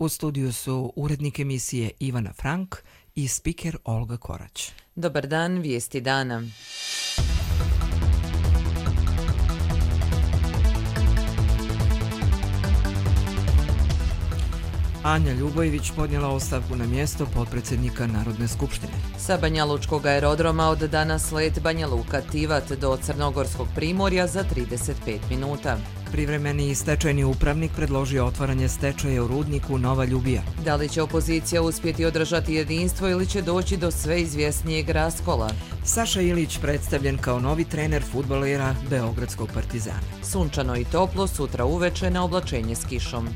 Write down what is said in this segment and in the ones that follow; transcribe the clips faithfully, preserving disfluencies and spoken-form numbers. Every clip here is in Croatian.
U studiju su urednik emisije Ivana Frank i spiker Olga Korać. Dobar dan, vijesti dana. Anja Ljubojević podnijela ostavku na mjesto potpredsjednika Narodne skupštine. Sa Banjalučkog aerodroma od danas let Banja Luka-Tivat do Crnogorskog primorja za trideset pet minuta. Privremeni stečajni upravnik predložio otvaranje stečaja u rudniku Nova Ljubija. Da li će opozicija uspjeti održati jedinstvo ili će doći do sve izvjesnijeg raskola? Saša Ilić predstavljen kao novi trener fudbalera Beogradskog Partizana. Sunčano i toplo, sutra uveče na oblačenje s kišom.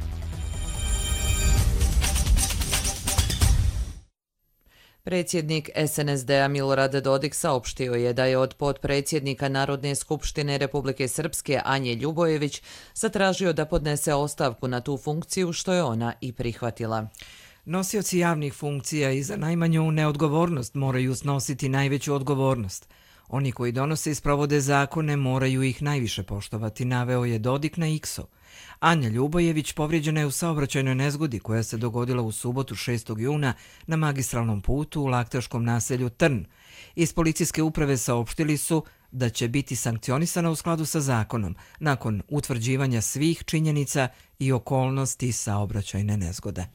Predsjednik es en es de a Milorad Dodik saopštio je da je od potpredsjednika Narodne skupštine Republike Srpske Anje Ljubojević zatražio da podnese ostavku na tu funkciju, što je ona i prihvatila. Nosioci javnih funkcija i za najmanju neodgovornost moraju snositi najveću odgovornost. Oni koji donose i sprovode zakone moraju ih najviše poštovati, naveo je Dodik na X-u. Anja Ljubojević povrijeđena je u saobraćajnoj nezgodi koja se dogodila u subotu šestog juna na magistralnom putu u laktaškom naselju Trn. Iz policijske uprave saopštili su da će biti sankcionisana u skladu sa zakonom nakon utvrđivanja svih činjenica i okolnosti saobraćajne nezgode.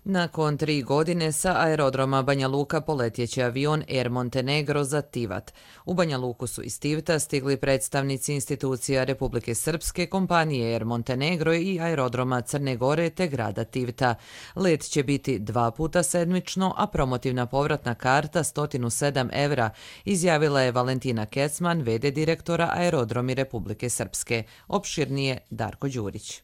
Nakon tri godine sa aerodroma Banja Luka poletjeće avion Air Montenegro za Tivat. U Banja Luku su iz Tivata stigli predstavnici institucija Republike Srpske, kompanije Air Montenegro i aerodroma Crne Gore te grada Tivata. Let će biti dva puta sedmično, a promotivna povratna karta sto sedam evra, izjavila je Valentina Kecman, ve de direktora Aerodromi Republike Srpske. Opširnije Darko Đurić.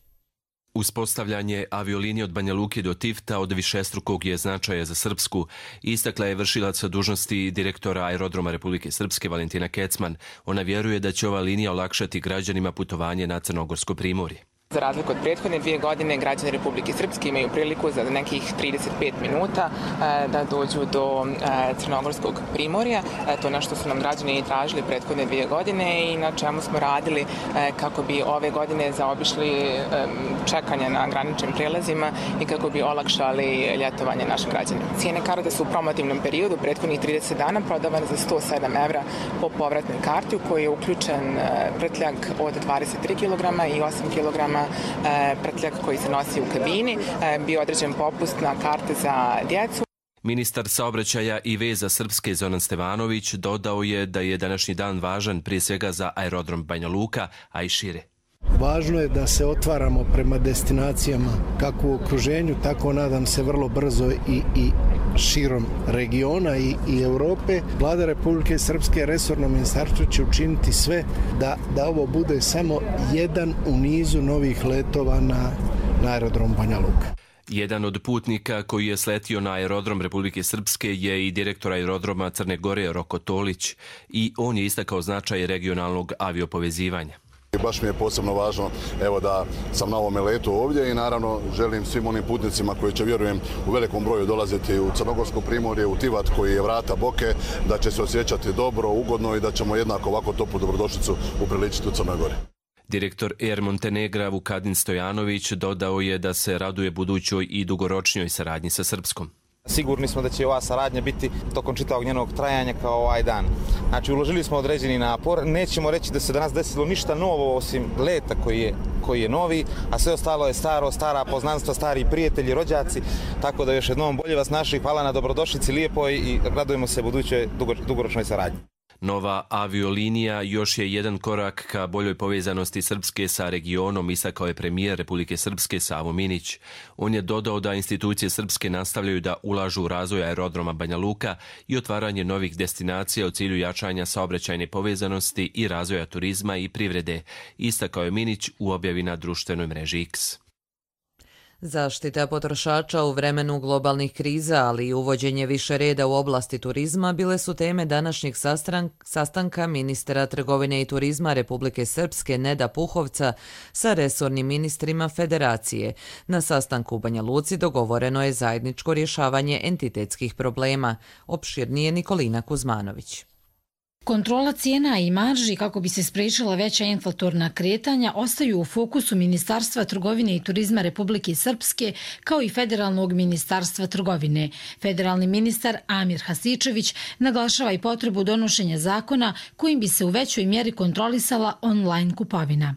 Uspostavljanje aviolinije od Banja Luke do Tivata od višestrukog je značaja za Srpsku, istakla je vršilac dužnosti direktora Aerodroma Republike Srpske Valentina Kecman. Ona vjeruje da će ova linija olakšati građanima putovanje na Crnogorsko primorje. Za razliku od prethodne dvije godine, građani Republike Srpske imaju priliku za nekih trideset pet minuta da dođu do Crnogorskog primorja. To je nešto su nam građani tražili prethodne dvije godine i na čemu smo radili kako bi ove godine zaobišli čekanje na graničnim prelazima i kako bi olakšali ljetovanje našim građanima. Cijene karata su u promotivnom periodu prethodnih trideset dana prodavane za sto sedam evra po povratnoj karti u kojoj je uključen prtljag od dvadeset tri kilograma i osam kilograma prtljag koji se nosi u kabini, bio određen popust na karte za djecu. Ministar saobraćaja i veza Srpske Zoran Stevanović dodao je da je današnji dan važan prije svega za aerodrom Banja Luka, a i šire. Važno je da se otvaramo prema destinacijama kako u okruženju, tako nadam se vrlo brzo i, i širom regiona i, i Europe. Vlada Republike Srpske, resorno ministarstvo će učiniti sve da, da ovo bude samo jedan u nizu novih letova na, na aerodrom Banja Luka. Jedan od putnika koji je sletio na aerodrom Republike Srpske je i direktor aerodroma Crne Gore Roko Tolić i on je istakao značaj regionalnog aviopovezivanja. Baš mi je posebno važno evo, da sam na ovome letu ovdje i naravno želim svim onim putnicima koji će, vjerujem, u velikom broju dolaziti u Crnogorsko primorje, u Tivat koji je vrata Boke, da će se osjećati dobro, ugodno i da ćemo jednako ovako toplu dobrodošlicu upriličiti u Crnoj Gori. Direktor Air Montenegra Vukadin Stojanović dodao je da se raduje budućoj i dugoročnijoj saradnji sa Srpskom. Sigurni smo da će ova saradnja biti tokom čitavog njenog trajanja kao ovaj dan. Znači, uložili smo određeni napor. Nećemo reći da se danas desilo ništa novo osim leta koji je, koji je novi, a sve ostalo je staro, stara poznanstva, stari prijatelji, rođaci. Tako da još jednom bolje vas našli, hvala na dobrodošlici, lijepo i radujemo se budućoj dugoročnoj saradnji. Nova aviolinija još je jedan korak ka boljoj povezanosti Srpske sa regionom, istakao je premijer Republike Srpske Savo Minić. On je dodao da institucije Srpske nastavljaju da ulažu u razvoj aerodroma Banja Luka i otvaranje novih destinacija u cilju jačanja saobraćajne povezanosti i razvoja turizma i privrede, istakao je Minić u objavi na društvenoj mreži X. Zaštita potrošača u vremenu globalnih kriza, ali i uvođenje više reda u oblasti turizma bile su teme današnjeg sastanka ministra trgovine i turizma Republike Srpske Neda Puhovca sa resornim ministrima Federacije. Na sastanku u Banja Luci dogovoreno je zajedničko rješavanje entitetskih problema. Opširnije Nikolina Kuzmanović. Kontrola cijena i marži kako bi se spriječila veća inflatorna kretanja ostaju u fokusu Ministarstva trgovine i turizma Republike Srpske kao i Federalnog ministarstva trgovine. Federalni ministar Amir Hasičević naglašava i potrebu donošenja zakona kojim bi se u većoj mjeri kontrolisala online kupovina.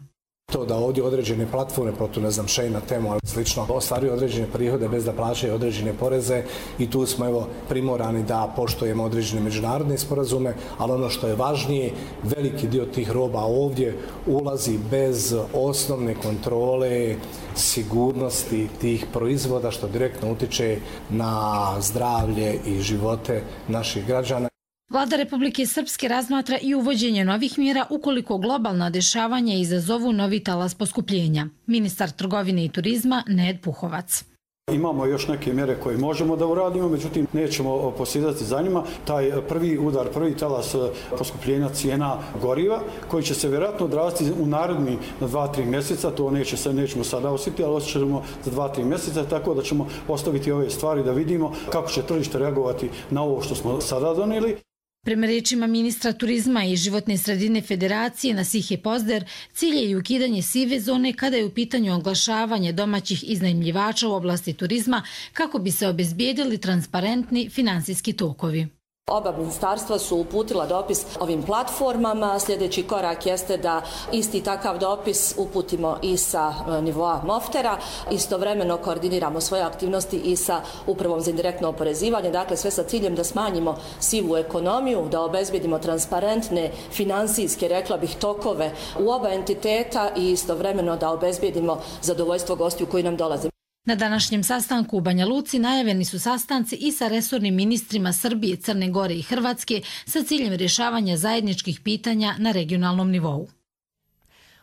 To da ovdje određene platforme, protu ne znam Shein, Temu, ali slično, ostvaruju određene prihode bez da plaćaju određene poreze i tu smo evo primorani da poštujemo određene međunarodne sporazume, ali ono što je važnije, veliki dio tih roba ovdje ulazi bez osnovne kontrole sigurnosti tih proizvoda, što direktno utiče na zdravlje i živote naših građana. Vlada Republike Srpske razmatra i uvođenje novih mjera ukoliko globalna dešavanja izazovu novi talas poskupljenja. Ministar trgovine i turizma Ned Puhovac. Imamo još neke mjere koje možemo da uradimo, međutim nećemo posjedati za njima. Taj prvi udar, prvi talas poskupljenja cijena goriva, koji će se vjerojatno odraziti u naredni na dva do tri mjeseca, to neće, nećemo sada osjetiti, ali osjećamo za dva do tri mjeseca, tako da ćemo ostaviti ove stvari da vidimo kako će tržište reagovati na ovo što smo sada donijeli. Prema rečima ministra turizma i životne sredine Federacije Nasihe Pozder, cilj je i ukidanje sive zone kada je u pitanju oglašavanje domaćih iznajmljivača u oblasti turizma kako bi se obezbijedili transparentni finansijski tokovi. Oba ministarstva su uputila dopis ovim platformama. Sljedeći korak jeste da isti takav dopis uputimo i sa nivoa Moftera. Istovremeno koordiniramo svoje aktivnosti i sa Upravom za indirektno oporezivanje. Dakle, sve sa ciljem da smanjimo sivu ekonomiju, da obezbijedimo transparentne finansijske, rekla bih, tokove u oba entiteta i istovremeno da obezbijedimo zadovoljstvo gostiju koji nam dolaze. Na današnjem sastanku u Banja Luci najavljeni su sastanci i sa resornim ministrima Srbije, Crne Gore i Hrvatske sa ciljem rješavanja zajedničkih pitanja na regionalnom nivou.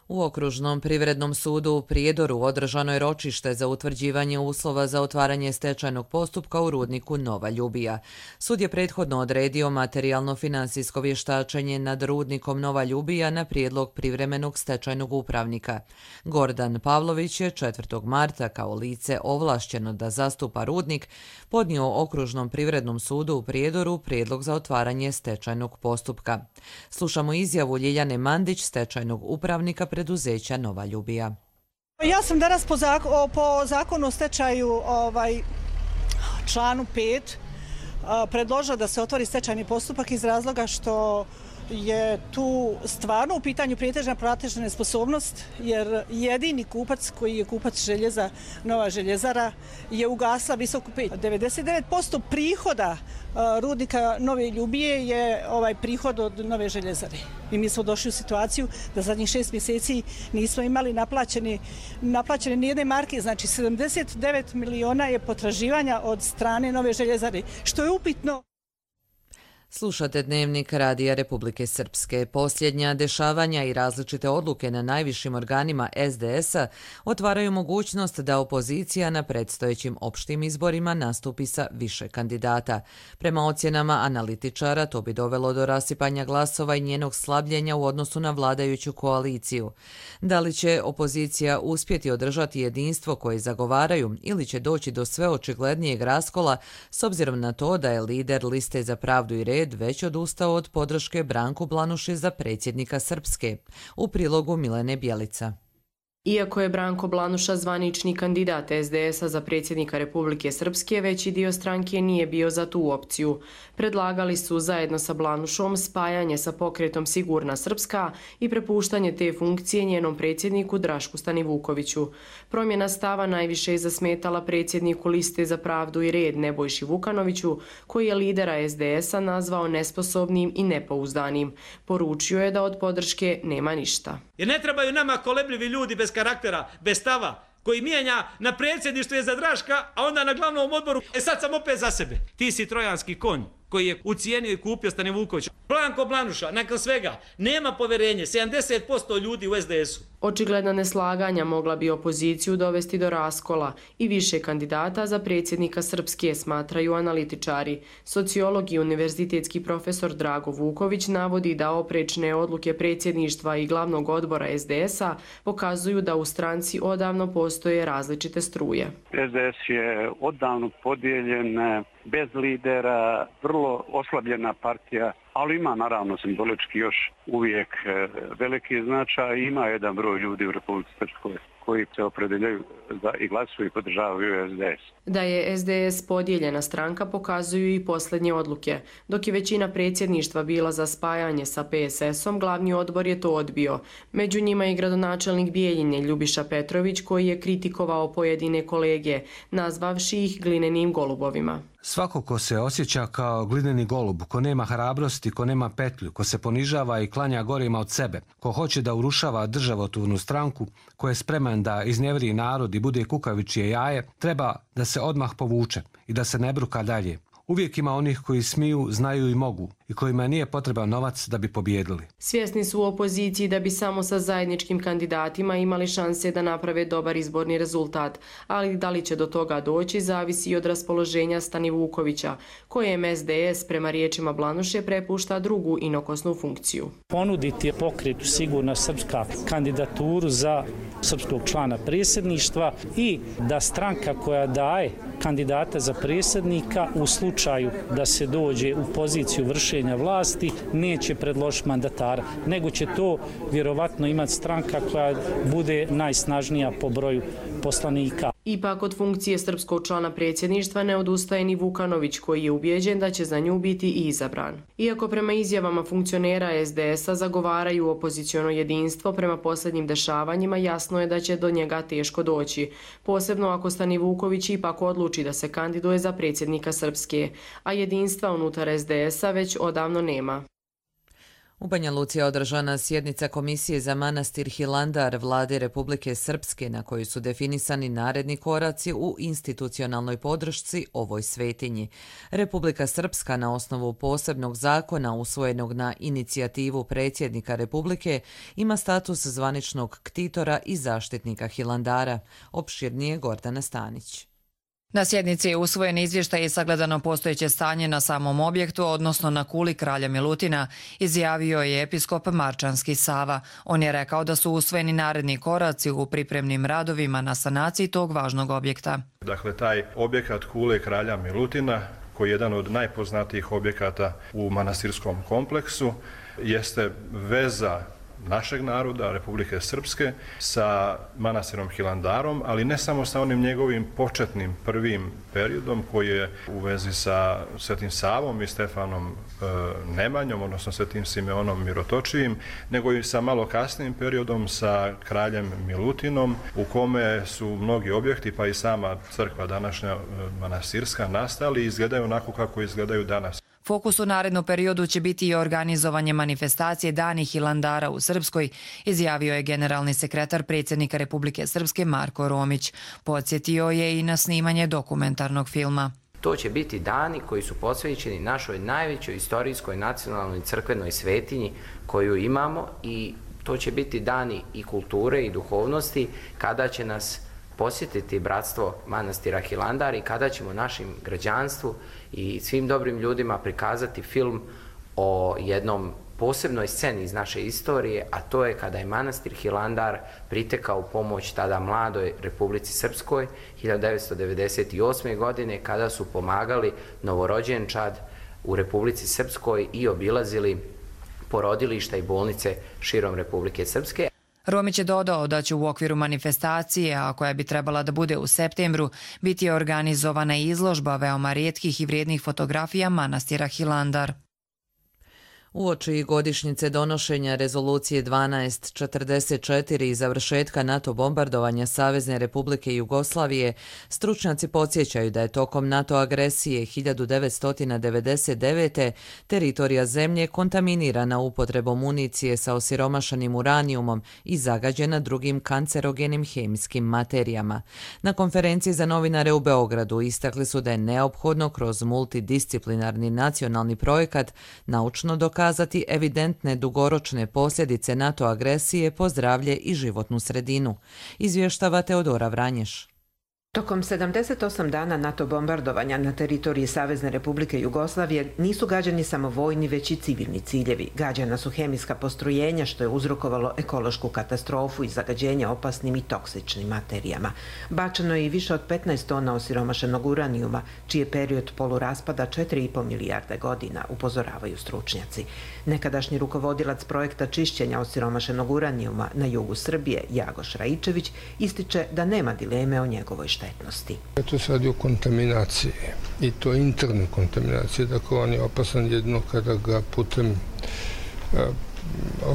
U Okružnom privrednom sudu u Prijedoru održano je ročište za utvrđivanje uslova za otvaranje stečajnog postupka u rudniku Nova Ljubija. Sud je prethodno odredio materijalno-finansijsko vještačenje nad rudnikom Nova Ljubija na prijedlog privremenog stečajnog upravnika. Gordan Pavlović je četvrtog marta kao lice ovlašćeno da zastupa rudnik podnio Okružnom privrednom sudu u Prijedoru prijedlog za otvaranje stečajnog postupka. Slušamo izjavu Ljiljane Mandić, stečajnog upravnika preduzeća Nova Ljubija. Ja sam danas po, zakon, po zakonu o stečaju ovaj, članu pet predložila da se otvori stečajni postupak iz razloga što je tu stvarno u pitanju prijetežna platežna nesposobnost, jer jedini kupac koji je kupac željeza, Nova željezara, je ugasla visoku peć. devedeset devet posto prihoda rudnika Nove Ljubije je ovaj prihod od Nove željezare. I mi smo došli u situaciju da zadnjih šest mjeseci nismo imali naplaćene, naplaćene nijedne marke, znači sedamdeset devet miliona je potraživanja od strane Nove željezare, što je upitno. Slušate Dnevnik Radija Republike Srpske. Posljednja dešavanja i različite odluke na najvišim organima es de es-a otvaraju mogućnost da opozicija na predstojećim opštim izborima nastupi sa više kandidata. Prema ocjenama analitičara to bi dovelo do rasipanja glasova i njenog slabljenja u odnosu na vladajuću koaliciju. Da li će opozicija uspjeti održati jedinstvo koje zagovaraju ili će doći do sve očiglednijeg raskola s obzirom na to da je lider Liste za pravdu i red već odustao od podrške Branku Blanuši za predsjednika Srpske. U prilogu Milene Bjelica. Iako je Branko Blanuša zvanični kandidat es de es-a za predsjednika Republike Srpske, veći dio stranke nije bio za tu opciju. Predlagali su zajedno sa Blanušom spajanje sa pokretom Sigurna Srpska i prepuštanje te funkcije njenom predsjedniku Drašku Stanivukoviću. Promjena stava najviše je zasmetala predsjedniku Liste za pravdu i red Nebojši Vukanoviću, koji je lidera es de es-a nazvao nesposobnim i nepouzdanim. Poručio je da od podrške nema ništa. Jer ne trebaju nama kolebljivi ljudi bez karaktera, bez stava, koji mijenja na predsjedništvu je za Draška, a onda na glavnom odboru, e sad sam opet za sebe. Ti si trojanski konj koji je ucijenio i kupio Stanivukovića. Branko Blanuša, nakon svega, nema poverenje, sedamdeset posto ljudi u es de es-u. Očigledna neslaganja mogla bi opoziciju dovesti do raskola i više kandidata za predsjednika Srpske, smatraju analitičari. Sociolog i univerzitetski profesor Drago Vuković navodi da oprečne odluke predsjedništva i glavnog odbora es de es-a pokazuju da u stranci odavno postoje različite struje. es de es je odavno podijeljen, bez lidera, vrlo oslabljena partija, ali ima naravno simbolički još uvijek veliki značaj i ima jedan broj ljudi u Republici Srpskoj koji se opredeljaju za i glasuju i podržavaju S D S. Da je S D S podijeljena stranka pokazuju i posljednje odluke. Dok je većina predsjedništva bila za spajanje sa P S S-om, glavni odbor je to odbio. Među njima je gradonačelnik Bijeljine Ljubiša Petrović koji je kritikovao pojedine kolege, nazvavši ih glinenim golubovima. Svako ko se osjeća kao glineni golub, ko nema hrabrosti, ko nema petlju, ko se ponižava i klanja gorima od sebe, ko hoće da urušava državotvornu stranku, ko je spreman da iznevri narod i bude kukavičije jaje, treba da se odmah povuče i da se ne bruka dalje. Uvijek ima onih koji smiju, znaju i mogu i kojima nije potreban novac da bi pobjedili. Svjesni su u opoziciji da bi samo sa zajedničkim kandidatima imali šanse da naprave dobar izborni rezultat, ali da li će do toga doći zavisi od raspoloženja Stani Vukovića, kojem S D S prema riječima Blanuše prepušta drugu inokosnu funkciju. Ponuditi pokretu Sigurna srpska kandidaturu za srpskog člana predsjedništva i da stranka koja daje kandidata za predsjednika u slučaju da se dođe u poziciju vršenja vlasti neće predložiti mandatara, nego će to vjerovatno imati stranka koja bude najsnažnija po broju poslanika. Ipak od funkcije srpskog člana predsjedništva ne odustaje ni Vukanović koji je ubijeđen da će za nju biti i izabran. Iako prema izjavama funkcionera S D S-a zagovaraju opoziciono jedinstvo, prema posljednjim dešavanjima jasno je da će do njega teško doći. Posebno ako Stani Vuković ipak odluči da se kandiduje za predsjednika Srpske, a jedinstva unutar S D S-a već odavno nema. U Banja Luci je održana sjednica Komisije za manastir Hilandar Vlade Republike Srpske na kojoj su definisani naredni koraci u institucionalnoj podršci ovoj svetinji. Republika Srpska na osnovu posebnog zakona usvojenog na inicijativu predsjednika Republike ima status zvaničnog ktitora i zaštitnika Hilandara. Opširnije Gordana Stanić. Na sjednici je usvojen izvještaj i sagledano postojeće stanje na samom objektu, odnosno na kuli kralja Milutina, izjavio je episkop Marčanski Sava. On je rekao da su usvojeni naredni koraci u pripremnim radovima na sanaciji tog važnog objekta. Dakle, taj objekat kule kralja Milutina, koji je jedan od najpoznatijih objekata u manastirskom kompleksu, jeste veza našeg naroda, Republike Srpske, sa manastirom Hilandarom, ali ne samo sa onim njegovim početnim prvim periodom koji je u vezi sa Svetim Savom i Stefanom e, Nemanjom, odnosno Svetim Simeonom Mirotočijim, nego i sa malo kasnijim periodom sa kraljem Milutinom, u kome su mnogi objekti, pa i sama crkva današnja e, manastirska, nastali i izgledaju onako kako izgledaju danas. Fokus u narednom periodu će biti i organizovanje manifestacije Dani Hilandara u Srpskoj, izjavio je generalni sekretar predsjednika Republike Srpske Marko Romić. Podsjetio je i na snimanje dokumentarnog filma. To će biti dani koji su posvećeni našoj najvećoj istorijskoj nacionalnoj crkvenoj svetinji koju imamo i to će biti dani i kulture i duhovnosti kada će nas posjetiti bratstvo manastira Hilandar i kada ćemo našim građanstvu i svim dobrim ljudima prikazati film o jednom posebnoj sceni iz naše istorije, a to je kada je manastir Hilandar pritekao u pomoć tada mladoj Republici Srpskoj hiljadu devetsto devedeset osme. godine kada su pomagali novorođenčad u Republici Srpskoj i obilazili porodilišta i bolnice širom Republike Srpske. Romić je dodao da će u okviru manifestacije, a koja bi trebala da bude u septembru, biti organizovana izložba veoma rijetkih i vrijednih fotografija manastira Hilandar. Uoči godišnjice donošenja rezolucije dvanaest četrdeset četiri i završetka NATO bombardovanja Savezne Republike Jugoslavije, stručnjaci podsjećaju da je tokom NATO agresije hiljadu devetsto devedeset devete. teritorija zemlje kontaminirana upotrebom municije sa osiromašanim uranijumom i zagađena drugim kancerogenim hemijskim materijama. Na konferenciji za novinare u Beogradu istakli su da je neophodno kroz multidisciplinarni nacionalni projekat naučno dokazati kazati evidentne dugoročne posljedice NATO agresije po zdravlje i životnu sredinu, izvještava Teodora Vranješ. Tokom sedamdeset osam dana NATO bombardovanja na teritoriji Savezne Republike Jugoslavije nisu gađani samo vojni, već i civilni ciljevi. Gađana su hemijska postrojenja, što je uzrokovalo ekološku katastrofu i zagađenje opasnim i toksičnim materijama. Bačeno je i više od petnaest tona osiromašenog uranijuma, čiji je period poluraspada četiri i po milijarde godina, upozoravaju stručnjaci. Nekadašnji rukovodilac projekta čišćenja osiromašenog uranijuma na jugu Srbije, Jagoš Raičević, ističe da nema dileme o njegovoj štetnosti. To se radi o kontaminaciji i to interne kontaminacije, dakle on je opasan jedno kada ga putem a,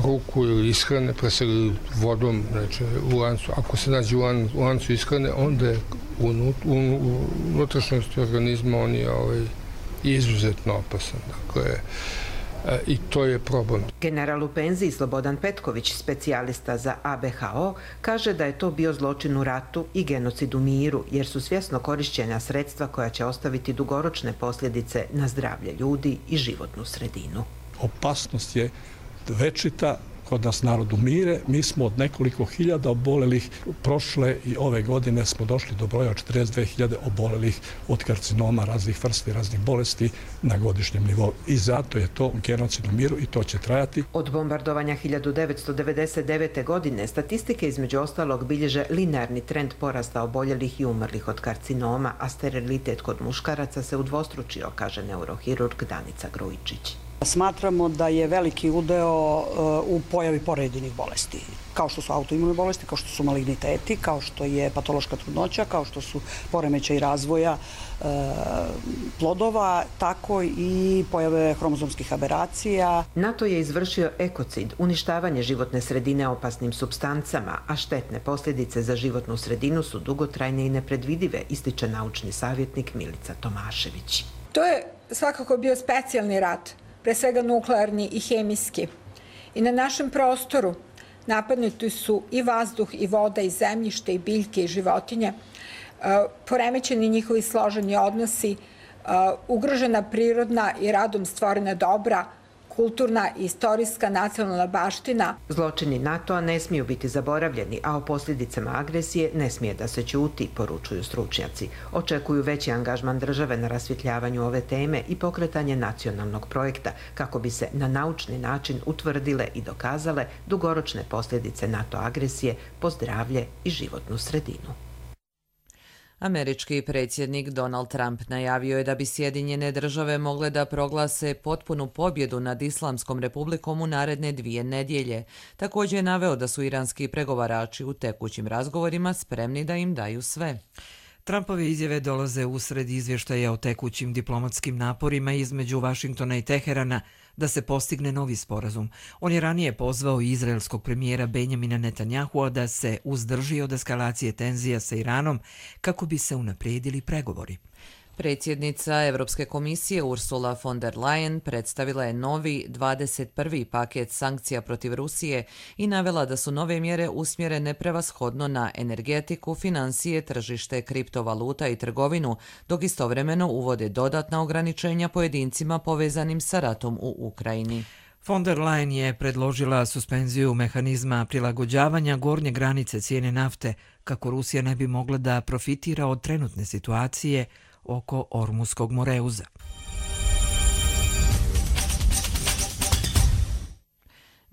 ruku ili ishrane, pre svega vodom, znači u lancu. Ako se nađe u, lan, u lancu ishrane, onda je u, u, u unutrašnjosti organizma on je ovaj, izuzetno opasan. Dakle, i to je problem. General u penziji Slobodan Petković, specijalista za A B H O, kaže da je to bio zločin u ratu i genocid u miru, jer su svjesno korišćena sredstva koja će ostaviti dugoročne posljedice na zdravlje ljudi i životnu sredinu. Opasnost je večita, kod nas narod umire. Mi smo od nekoliko hiljada obolelih, prošle i ove godine smo došli do broja od četrdeset dve hiljade obolelih od karcinoma raznih vrsta i raznih bolesti na godišnjem nivou. I zato je to genocid u miru i to će trajati. Od bombardovanja hiljadu devetsto devedeset devete. godine statistike između ostalog bilježe linearni trend porasta oboljelih i umrlih od karcinoma, a sterilitet kod muškaraca se udvostručio, kaže neurohirurg Danica Grujičić. Smatramo da je veliki udeo u pojavi porodiljnih bolesti, kao što su autoimune bolesti, kao što su maligniteti, kao što je patološka trudnoća, kao što su poremećaji razvoja e, plodova, tako i pojave hromozomskih aberacija. NATO je izvršio ekocid, uništavanje životne sredine opasnim supstancama, a štetne posljedice za životnu sredinu su dugotrajne i nepredvidive, ističe naučni savjetnik Milica Tomašević. To je svakako bio specijalni rat, pre svega nuklearni i hemijski. I na našem prostoru napadnuti su i vazduh, i voda, i zemljište, i biljke, i životinje, poremećeni njihovi složeni odnosi, ugrožena prirodna i radom stvorena dobra, kulturna i istorijska nacionalna baština. Zločini NATO-a ne smiju biti zaboravljeni, a o posljedicama agresije ne smije da se ćuti, poručuju stručnjaci. Očekuju veći angažman države na rasvjetljavanju ove teme i pokretanje nacionalnog projekta kako bi se na naučni način utvrdile i dokazale dugoročne posljedice NATO agresije po zdravlje i životnu sredinu. Američki predsjednik Donald Trump najavio je da bi Sjedinjene države mogle da proglase potpunu pobjedu nad Islamskom republikom u naredne dvije nedjelje. Također je naveo da su iranski pregovarači u tekućim razgovorima spremni da im daju sve. Trumpove izjave dolaze usred izvještaja o tekućim diplomatskim naporima između Vašingtona i Teherana da se postigne novi sporazum. On je ranije pozvao izraelskog premijera Benjamina Netanyahua da se uzdrži od eskalacije tenzija sa Iranom kako bi se unaprijedili pregovori. Predsjednica Evropske komisije Ursula von der Leyen predstavila je novi dvadeset prvi paket sankcija protiv Rusije i navela da su nove mjere usmjerene prevashodno na energetiku, financije, tržište, kriptovaluta i trgovinu, dok istovremeno uvode dodatna ograničenja pojedincima povezanim sa ratom u Ukrajini. Von der Leyen je predložila suspenziju mehanizma prilagođavanja gornje granice cijene nafte kako Rusija ne bi mogla da profitira od trenutne situacije oko Ormuskog moreuza.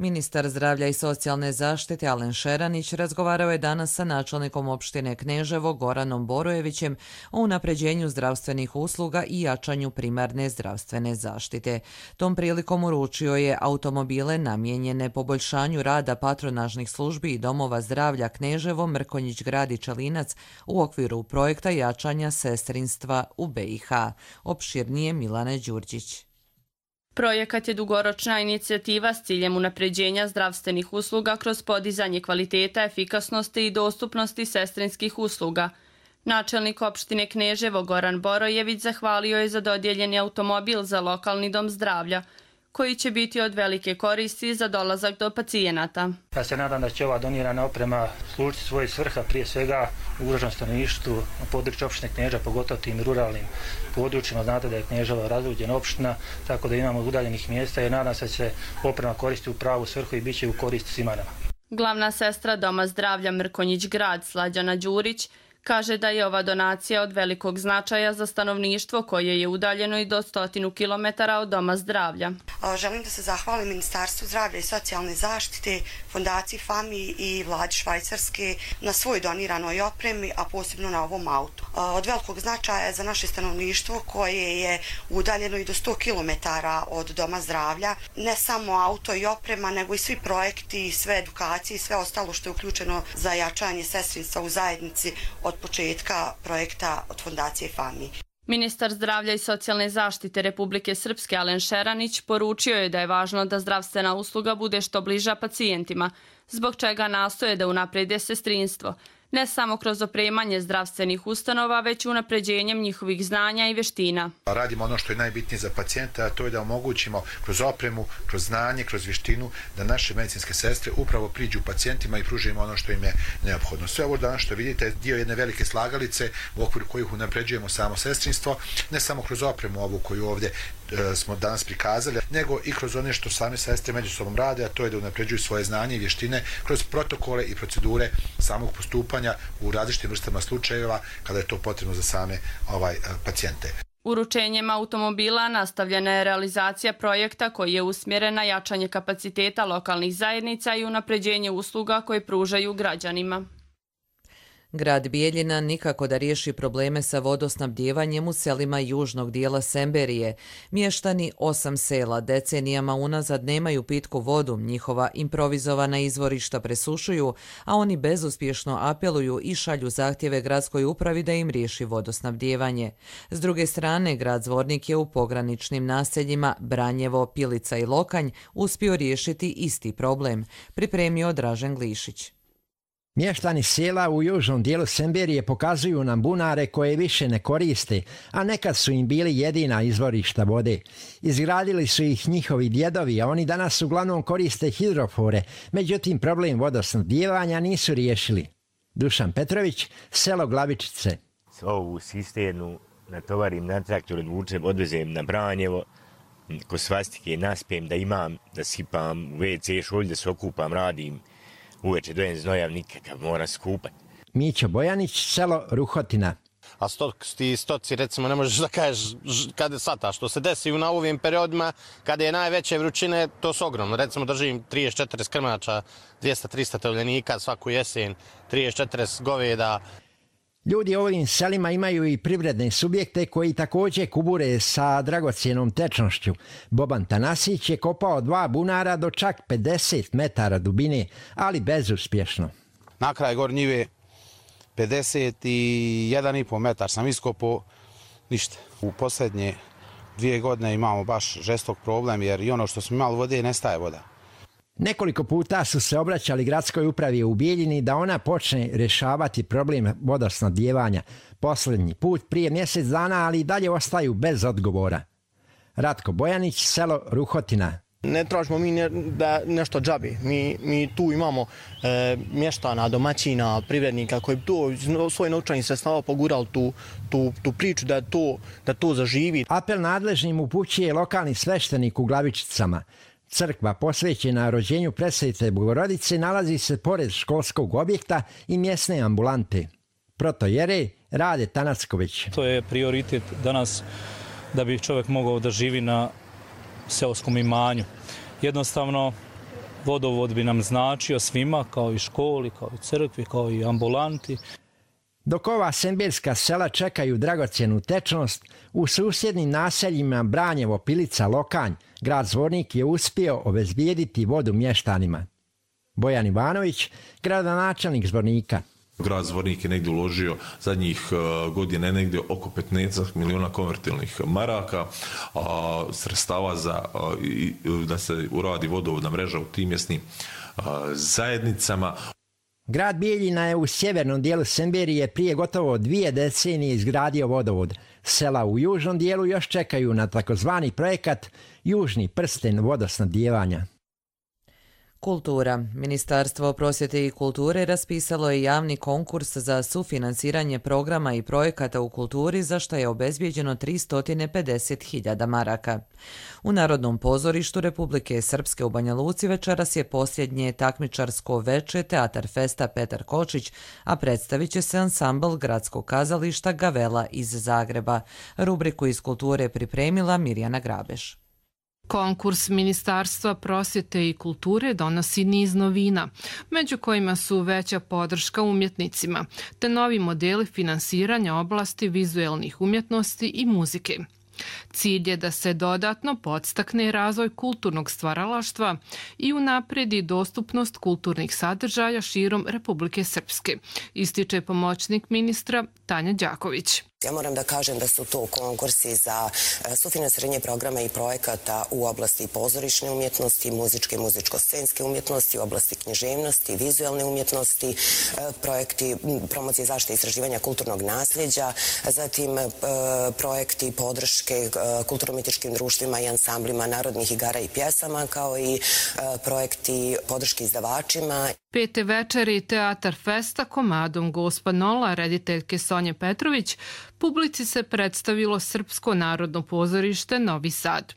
Ministar zdravlja i socijalne zaštite Alen Šeranić razgovarao je danas sa načelnikom opštine Kneževo Goranom Borojevićem o unapređenju zdravstvenih usluga i jačanju primarne zdravstvene zaštite. Tom prilikom uručio je automobile namijenjene poboljšanju rada patronažnih službi i domova zdravlja Kneževo, Mrkonjić Grad i Čelinac u okviru projekta jačanja sestrinstva u B i H. Opširnije Milane Đurđić. Projekat je dugoročna inicijativa s ciljem unapređenja zdravstvenih usluga kroz podizanje kvaliteta, efikasnosti i dostupnosti sestrinskih usluga. Načelnik opštine Kneževo Goran Borojević zahvalio je za dodijeljeni automobil za lokalni dom zdravlja, koji će biti od velike koristi za dolazak do pacijenata. Ja se nadam da će ova donirana oprema služiti svoje svrha, prije svega ugroženom stanovništvu na području opštine Kneža, pogotovo tim ruralnim područjima. Znate da je Kneževo razluđena opština, tako da imamo udaljenih mjesta i nadam se da će oprema koristiti u pravu svrhu i bit će u korist svima nama. Glavna sestra Doma zdravlja Mrkonjić Grad Slađana Đurić Kaže da je ova donacija od velikog značaja za stanovništvo koje je udaljeno i do stotinu kilometara od Doma zdravlja. Želim da se zahvalim Ministarstvu zdravlja i socijalne zaštite, Fondaciji FAMI i vladi Švajcarske na svoj doniranoj opremi, a posebno na ovom autu. Od velikog značaja je za naše stanovništvo koje je udaljeno i do sto kilometara od Doma zdravlja. Ne samo auto i oprema, nego i svi projekti, sve edukacije i sve ostalo što je uključeno za jačanje sestrinstva u zajednici od početka projekta od Fondacije FAMI. Ministar zdravlja i socijalne zaštite Republike Srpske Alen Šeranić poručio je da je važno da zdravstvena usluga bude što bliža pacijentima, zbog čega nastoje da unaprede sestrinstvo, ne samo kroz opremanje zdravstvenih ustanova, već unapređenjem njihovih znanja i vještina. Radimo ono što je najbitnije za pacijenta, a to je da omogućimo kroz opremu, kroz znanje, kroz vještinu, da naše medicinske sestre upravo priđu pacijentima i pružimo ono što im je neophodno. Sve ovo danas što vidite je dio jedne velike slagalice u okviru kojih unapređujemo samo sestrinstvo, ne samo kroz opremu ovu koju ovdje e, smo danas prikazali, nego i kroz one što same sestre međusobom rade, a to je da unapređuju svoje znanje i vještine kroz protokole i procedure samog postupanja u različitim vrstama slučajeva kada je to potrebno za same ovaj, pacijente. Uručenjem automobila nastavljena je realizacija projekta koji je usmjeren na jačanje kapaciteta lokalnih zajednica i unapređenje usluga koje pružaju građanima. Grad Bijeljina nikako da riješi probleme sa vodosnabdjevanjem u selima južnog dijela Semberije. Mještani osam sela decenijama unazad nemaju pitku vodu, njihova improvizovana izvorišta presušuju, a oni bezuspješno apeluju i šalju zahtjeve gradskoj upravi da im riješi vodosnabdjevanje. S druge strane, grad Zvornik je u pograničnim naseljima Branjevo, Pilica i Lokanj uspio riješiti isti problem, pripremio Dražen Glišić. Mještani sela u južnom dijelu Semberije pokazuju nam bunare koje više ne koriste, a nekad su im bili jedina izvorišta vode. Izgradili su ih njihovi djedovi, a oni danas uglavnom koriste hidrofore, međutim problem vodosnabdjevanja nisu riješili. Dušan Petrović, selo Glavičice. Ovu cisternu natovarim na traktor, odvučem, odvezem na Branjevo, ko svastike naspijem da imam, da sipam u ve ce šolj, da se okupam, radim. Uveče dojem znojav nikakav, mora skupati. Mićo Bojanić, selo Ruhotina. A stoci, stoci recimo ne možeš da kažeš kada sata. Što se desi na ovim periodima, kada je najveće vrućine, to su ogromno. Recimo držim trideset četrdeset krmača, dvjesto trista tovljenika svaku jesen, trideset četrdeset goveda. Ljudi u ovim selima imaju i privredne subjekte koji također kubure sa dragocjenom tečnošću. Boban Tanasić je kopao dva bunara do čak pedeset metara dubine, ali bezuspješno. Na kraj gor njive pedeset jedan i pol metar sam iskopao, ništa. U posljednje dvije godine imamo baš žestok problem jer i ono što smo imali vode nestaje voda. Nekoliko puta su se obraćali gradskoj upravi u Bijeljini da ona počne rješavati problem vodosnabdjevanja. Posljednji put prije mjesec dana, ali i dalje ostaju bez odgovora. Ratko Bojanić, selo Ruhotina. Ne tražimo mi ne, da nešto džabi. Mi, mi tu imamo e, mještana, domaćina, privrednika koji to svoj novčani sredstava pogurali tu, tu, tu priču da to, da to zaživi. Apel nadležnim upućuje lokalni sveštenik u Glavičicama. Crkva posvećena rođenju Presvete Bogorodice nalazi se pored školskog objekta i mjesne ambulante. Protojere Rade Tanacković. To je prioritet danas da bi čovjek mogao da živi na seoskom imanju. Jednostavno, vodovod bi nam značio svima, kao i školi, kao i crkvi, kao i ambulanti. Dok ova semberska sela čekaju dragocjenu tečnost, u susjednim naseljima Branjevo, Pilica, Lokanj, grad Zvornik je uspio obezbijediti vodu mještanima. Bojan Ivanović, gradonačelnik Zvornika. Grad Zvornik je negdje uložio zadnjih godina negdje oko petnaest milijuna konvertilnih maraka, a, sredstava za a, i, da se uradi vodovodna mreža u tim mjesnim a, zajednicama. Grad Bijeljina je u sjevernom dijelu Semberije prije gotovo dvije decenije izgradio vodovod. Sela u južnom dijelu još čekaju na takozvani projekat Južni prsten vodosnabdjevanja. Kultura. Ministarstvo prosvjete i kulture raspisalo je javni konkurs za sufinansiranje programa i projekata u kulturi za što je obezbijeđeno tristo pedeset hiljada maraka. U Narodnom pozorištu Republike Srpske u Banja Luci večeras je posljednje takmičarsko veče Teatar Festa Petar Kočić, a predstavit će se ansambl Gradskog kazališta Gavela iz Zagreba. Rubriku iz kulture pripremila Mirjana Grabeš. Konkurs Ministarstva prosvjete i kulture donosi niz novina, među kojima su veća podrška umjetnicima, te novi modeli finansiranja oblasti vizuelnih umjetnosti i muzike. Cilj je da se dodatno podstakne razvoj kulturnog stvaralaštva i unapredi dostupnost kulturnih sadržaja širom Republike Srpske, ističe pomoćnik ministra Tanja Đaković. Ja moram da kažem da su to konkursi za sufinansiranje programa i projekata u oblasti pozorišne umjetnosti, muzičke i muzičko-scenske umjetnosti, u oblasti književnosti, vizualne umjetnosti, projekti promocije zaštite i istraživanja kulturnog nasljeđa, zatim projekti podrške kulturno-umjetničkim društvima i ansamblima narodnih igara i pjesama, kao i projekti podrške izdavačima. Pete večeri Teatar Festa komadom Gospa Nola, rediteljke Sonje Petrović, publici se predstavilo Srpsko narodno pozorište Novi Sad.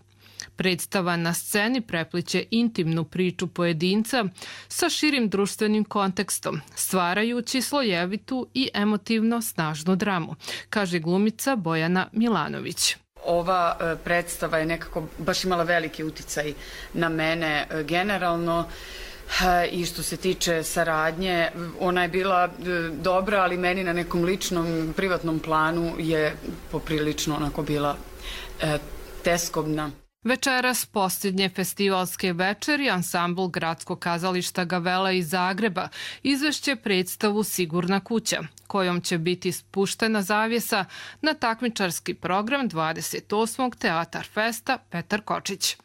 Predstava na sceni prepliće intimnu priču pojedinca sa širim društvenim kontekstom, stvarajući slojevitu i emotivno snažnu dramu, kaže glumica Bojana Milanović. Ova predstava je nekako baš imala veliki uticaj na mene generalno. I što se tiče saradnje, ona je bila dobra, ali meni na nekom ličnom, privatnom planu je poprilično onako bila e, teskobna. Večeras posljednje festivalske večeri ansambl Gradskog kazališta Gavela iz Zagreba izvešće predstavu Sigurna kuća, kojom će biti spuštena zavjesa na takmičarski program dvadeset osmog Teatar Festa Petar Kočić.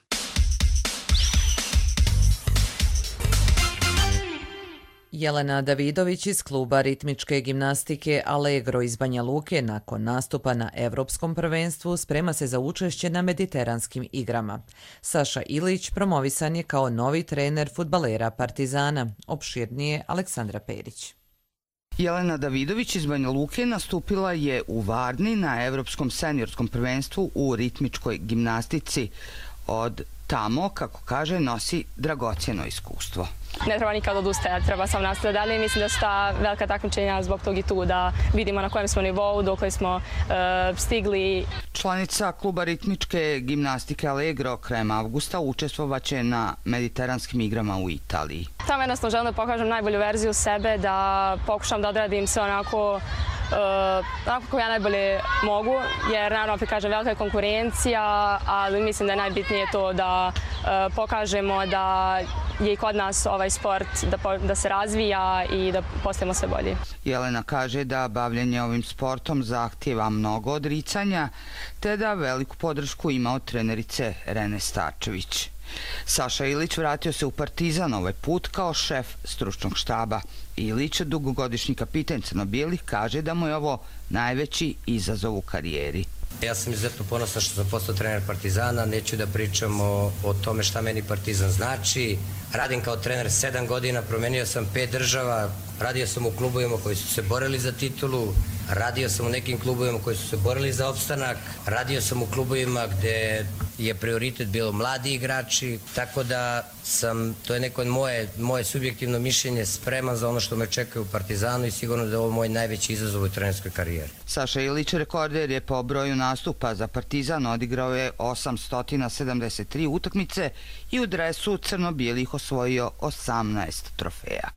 Jelena Davidović iz kluba ritmičke gimnastike Allegro iz Banja Luke nakon nastupa na Evropskom prvenstvu sprema se za učešće na Mediteranskim igrama. Saša Ilić promovisan je kao novi trener fudbalera Partizana. Opširnije Aleksandra Perić. Jelena Davidović iz Banja Luke nastupila je u Varni na Evropskom seniorskom prvenstvu u ritmičkoj gimnastici. Od tamo, kako kaže, nosi dragocjeno iskustvo. Ne treba nikad odustajati, treba sam nastaviti dalje. Mislim da su ta velika takmičenja zbog tog i tu da vidimo na kojem smo nivou, dokle smo uh, stigli. Članica kluba ritmičke gimnastike Allegro krajem avgusta učestvovaće na Mediteranskim igrama u Italiji. Tamo jednostavno želim da pokažem najbolju verziju sebe, da pokušam da odradim sve onako Uh, onako kako ja najbolje mogu, jer naravno opet kažem velika je konkurencija, ali mislim da je najbitnije to da uh, pokažemo da je i kod nas ovaj sport da, po, da se razvija i da postajemo sve bolji. Jelena kaže da bavljenje ovim sportom zahtijeva mnogo odricanja, te da veliku podršku ima od trenerice Rene Starčević. Saša Ilić vratio se u Partizan ovaj put kao šef stručnog štaba. Ilić, dugogodišnji kapiten crno-bijelih, kaže da mu je ovo najveći izazov u karijeri. Ja sam izuzetno ponosan što sam postao trener Partizana, neću da pričam o, o tome šta meni Partizan znači. Radim kao trener sedam godina, promenio sam pet država, radio sam u klubovima koji su se borili za titulu, radio sam u nekim klubovima koji su se borili za opstanak, radio sam u klubovima gde je prioritet bilo mladi igrači, tako da sam, to je neko moje, moje subjektivno mišljenje, spreman za ono što me čeka u Partizanu i sigurno da je ovo moj najveći izazov u trenerskoj karijeri. Saša Ilić, rekorder je po broju nastupa za Partizan, odigrao je osamsto sedamdeset tri utakmice i u dresu crno-bijelih osvojio osamnaest trofeja.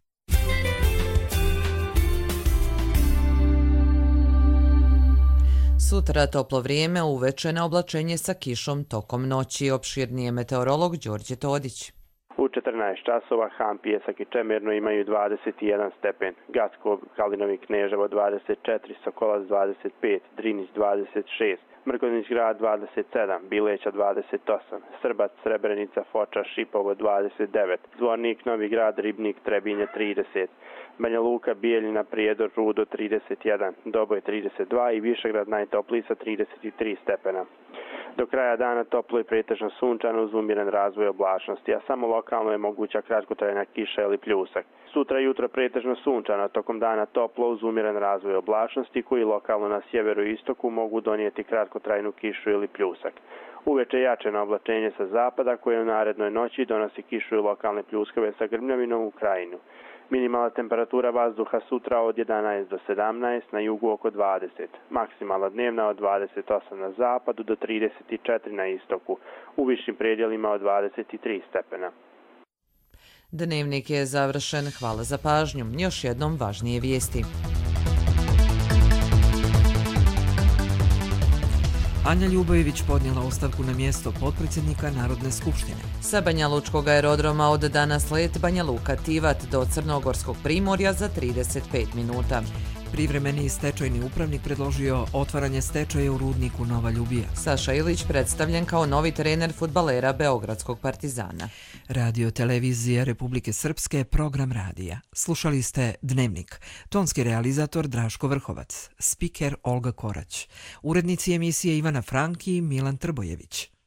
Sutra toplo vrijeme, uveče na oblačenje sa kišom tokom noći. Opširnije meteorolog Đorđe Todić. U četrnaest časova Han, Pijesak i Čemerno imaju dvadeset jedan stepen, Gacko, Kalinovi, Kneževo dvadeset četiri, Sokolac dvadeset pet, Drinić dvadeset šest, Mrkonjić grad dvadeset sedam, Bileća dvadeset osam, Srbac, Srebrenica, Foča, Šipovo dvadeset devet, Zvornik, Novi grad, Ribnik, Trebinje trideset, Banja Luka, Bijeljina, Prijedor, Rudo trideset jedan, Doboj trideset dva i Višegrad najtopliji sa trideset tri stepena. Do kraja dana toplo i pretežno sunčano uz umjeren razvoj oblačnosti, a samo lokalno je moguća kratkotrajna kiša ili pljusak. Sutra jutro pretežno sunčano, tokom dana toplo uz umjeren razvoj oblačnosti koji lokalno na sjeveru i istoku mogu donijeti kratkotrajnu kišu ili pljusak. Uveče jačeno oblačenje sa zapada koje u narednoj noći donosi kišu i lokalne pljuskave sa grmljavinom u krajinu. Minimalna temperatura vazduha sutra od jedanaest do sedamnaest, na jugu oko dvadeset. Maksimalna dnevna od dvadeset osam na zapadu do trideset četiri na istoku. U višim predjelima od dvadeset tri stepena. Dnevnik je završen. Hvala za pažnju. Još jednom važnije vijesti. Anja Ljubojević podnijela ostavku na mjesto potpredsjednika Narodne skupštine. Sa Banja Lučkog aerodroma od danas let Banja Luka-Tivat do Crnogorskog primorja za trideset pet minuta. Privremeni stečajni upravnik predložio otvaranje stečaja u rudniku Nova Ljubija. Saša Ilić predstavljen kao novi trener fudbalera Beogradskog Partizana. Radio televizija Republike Srpske, program radija. Slušali ste Dnevnik. Tonski realizator Draško Vrhovac. Spiker Olga Korać. Urednici emisije Ivana Franki i Milan Trbojević.